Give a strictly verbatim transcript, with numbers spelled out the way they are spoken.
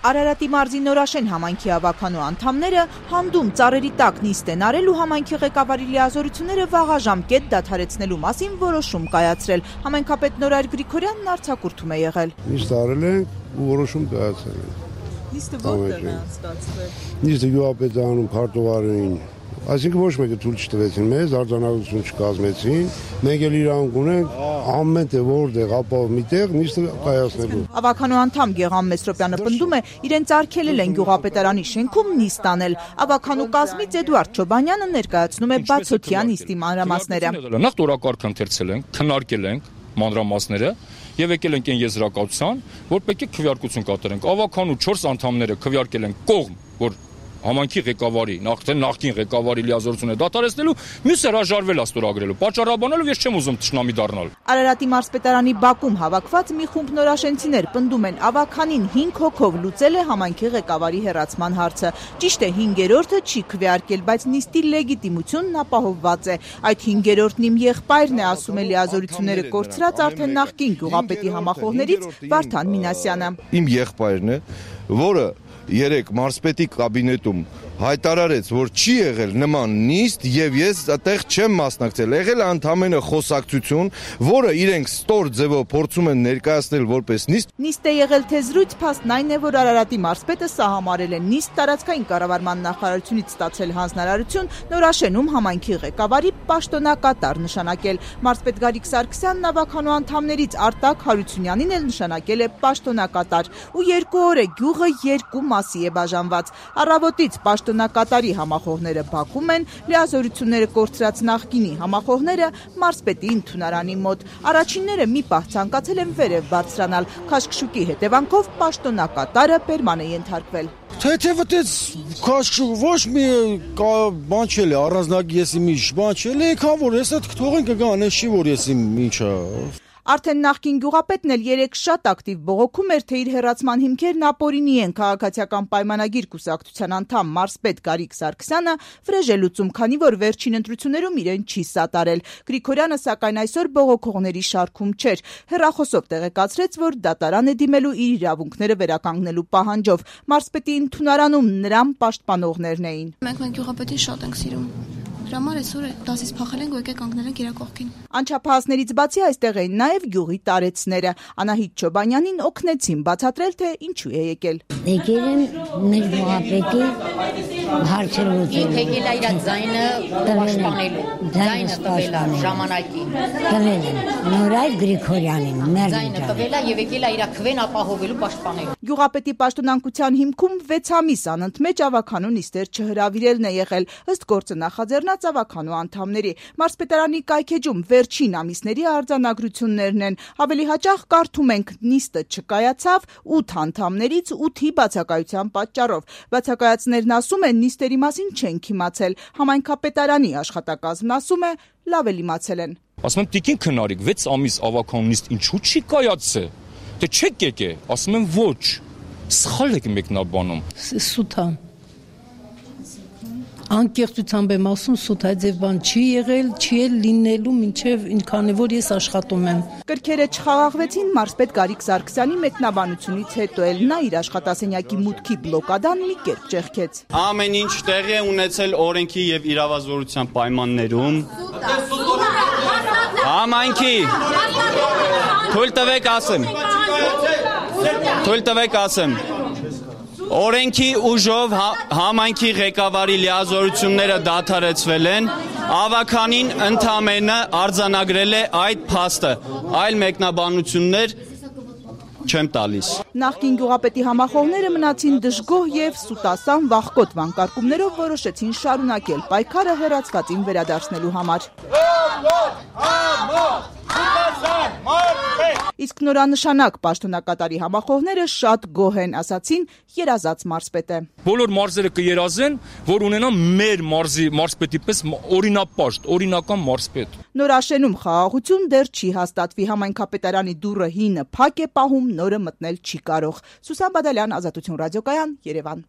Արարատի մարզի Նորաշեն համայնքի ավականու անդամները հանդում ծառերի տակ նիստ են արել ու համայնքի ղեկավարի լիազորությունները վաղաժամկետ դադարեցնելու մասին որոշում կայացրել։ Համայնքապետ Նորայր Գրիգորյանն արձակուրդում է եղել։ Նիստ արել ենք ու որոշում կայացրել ենք։ Նիստը որտեղ է անցկացվել։ Նիստը գյուղապետարանում քարտուղարին, այսինքն ոչ մեկը թույլ չտվեցին մեզ, արձանագրություն չկազմեցին, մենք էլ իրանք ունենք ամեն տեղ որտեղ ապահով միտեղ նիստը կայացնելու։ Ավականու անդամ Գեգամ Մեսրոպյանը պնդում է, իրենց արգելել են գյուղապետարանի շենքում նիստ անել։ Ավականու կազմից Էդուարդ Չոբանյանը ներկայացնում է բացօթյա նիստի մանրամասները։ Նախ տորակարգ ընթերցել ենք, քննարկել ենք մանրամասները եւ եկել ենք այն եզրակացության, որ պետք է քվեարկություն կատարենք։ Ավականու չորս անդամները քվեարկել են կողմ, որ համայնքի ղեկավարի, նախ նախկին ղեկավարի լիազորությունը դադարեցնելու, մյուսը հրաժարվել է ստորագրելու, պատճառաբանելով ես չեմ ուզում թշնամի դառնալ։ Արարատի մարզպետարանի բակում հավաքված մի խումբ նորաշենցիներ պնդում են, ավականին հինգ հոգով լուծել է համայնքի ղեկավարի հեռացման հարցը։ Ճիշտ է, հինգերորդը չի քվեարկել, բայց նիստի լեգիտիմությունն ապահովված է։ Այդ հինգերորդն իմ եղբայրն է, ասում է լիազորությունները կորցրած արդեն նախկին գյուղապետի համախոհներից Վարդան Մինասյանը։ Իմ եղբայրն է, որը երեք մարզպետի կաբինետում հայտարարեց, որ չի եղել նման նիստ եւ ես այդտեղ չեմ մասնակցել, եղել է ընդամենը խոսակցություն, որը իրենք ստոր ձևով փորձում են ներկայացնել որպես նիստ։ Նիստ է եղել թե զրույց, փաստն այն է, որ Արարատի մարզպետը սահամարել է նիստ, տարածքային կառավարման նախարարությունից ստացել հանձնարարություն Նորաշենում համայնքի ղեկավարի պաշտոնակատար նշանակել։ Մարզպետ Գարիկ Սարգսյանն ավականու անդամներից Արտակ Հարությունյանին էլ նշանակել է պաշտոնակատար, ու երկու օր է գյուղը երկու մասի է բաժանված։ Առավոտից պաշտոնակատարի համախոհները բակում են, լիազորությունները կորցրած նախկինի համախոհները մարզպետի ընդունարանի մոտ։ Առաջինները մի պահ ցանկացել են վերև բարձրանալ, քաշքշուկի հետևանքով պաշտոնակատարը պերման է ենթարկվել։ Թեթևտեց քաշքշուկ ոչ մի բան չել է, առանձնակ ես իմ ինչ բան չել է, քան որ ես այդ թողին կգան, ես չի որ ես իմ ինչա։ Արդեն նախկին գյուղապետն էլ երեք շատ ակտիվ բողոքում էր, թե իր հեռացման հիմքերն ապօրինի են։ Քաղաքացիական պայմանագիր կուսակցության անդամ մարզպետ Գարիկ Սարգսյանը վրեժ է լուծում, քանի որ վերջին ընտրություններում իրեն չի սատարել։ Գրիգորյանը սակայն այսօր բողոքողների շարքում չէր։ Հեռախոսով տեղեկացրեց, որ դատարան է դիմելու իր իրավունքները վերականգնելու պահանջով։ Մարզպետի ընդունարանում նրան պաշտպանողներն էին։ Մենք մենք գյուղապետին շատ ենք սիրում։ Դրամար այսօր դասից փախել ենք ու եկեք կանգնել ենք իր կողքին։ Անչափահասներից բացի այստեղ էին նաև գյուղի տարեցները։ Անահիտ Չոբանյանին օգնեցին բացատրել, թե ինչու է եկել։ Եկել են մեր գյուղապետի հարցեր լուծելու։ Եկել է իր ձայնը պաշտպանելու, ձայնը տվել է ժամանակին։ Տվել են Նորայր Գրիգորյանին, մեր ձայնը տվել է եւ եկել է իր քվեն ապահովելու, պաշտպանելու։ Գյուղապետի պաշտոնանկության հիմքում վեց ամիս անընդմեջ ավականու նիստեր չհրավիրելն է եղել, ըստ գործը նախաձեռնած ավականու անդամների։ Մարզպետարանի կայքեջում վերջին ամիսների արձանագրություններն են։ Ավելի հաճախ կարդում ենք նիստը չկայացավ ութ անդամներից ութի բացակայության պատճառով։ Բացակայածներն ասում են նիստերի մասին չենք իմացել։ Համայնքապետարանի աշխատակազմն ասում է լավ էլ իմացել են։ Ասում եմ տիկին քնարիկ վեց ամիս ավականու նիստ ինչու չի կայացել։ Դե չեք եկե, ասում եմ ոչ։ Սխալ եք մեկնաբանում։ Սուտ է։ Անկեղծությամբ եմ ասում, սուտ այդ ձև բան չի եղել, չի էլ լինելու մինչև ինքան է որ ես աշխատում եմ։ Կրքերը չխաղաղվեցին մարզպետ Գարիկ Սարգսյանի մեկնաբանությունից հետո էլ նա իր աշխատասենյակի մուտքի բլոկադան մի կերպ ճեղքեց։ Ամեն ինչ տեղի է ունեցել օրենքի եւ իրավազորության պայմաններում։ Համայնքի թույլ տվեք ասեմ։ Թույլ տվեք ասեմ։ Օրենքի ուժով համայնքի ղեկավարի լիազորությունները դադարեցվել են, ավականին ընդամենը արձանագրել է այդ փաստը, այլ մեկնաբանություններ չեմ տալիս։ Նախկին գյուղապետի համախոհները մնացին դժգոհ եւ սուտասան վախկոտ վանկարկումներով որոշեցին շարունակել պայքարը հեռացվածին վերադարձնելու համար։ Իսկ նորանշանակ պաշտոնակատարի համախոհները շատ գոհ են, ասացին երազած մարզպետը։ Բոլոր մարզերը կերազեն, որ ունենան մեր մարզի մարզպետի պես օրինապաշտ, օրինական մարզպետ։ Նորաշենում խաղաղություն դեռ չի հաստատվի, համայնքապետարանի դուռը հինը փակ է պահում, նորը մտնել չի կարող։ Սուսան Բադալյան, Ազատություն ռադիոկայան, Երևան։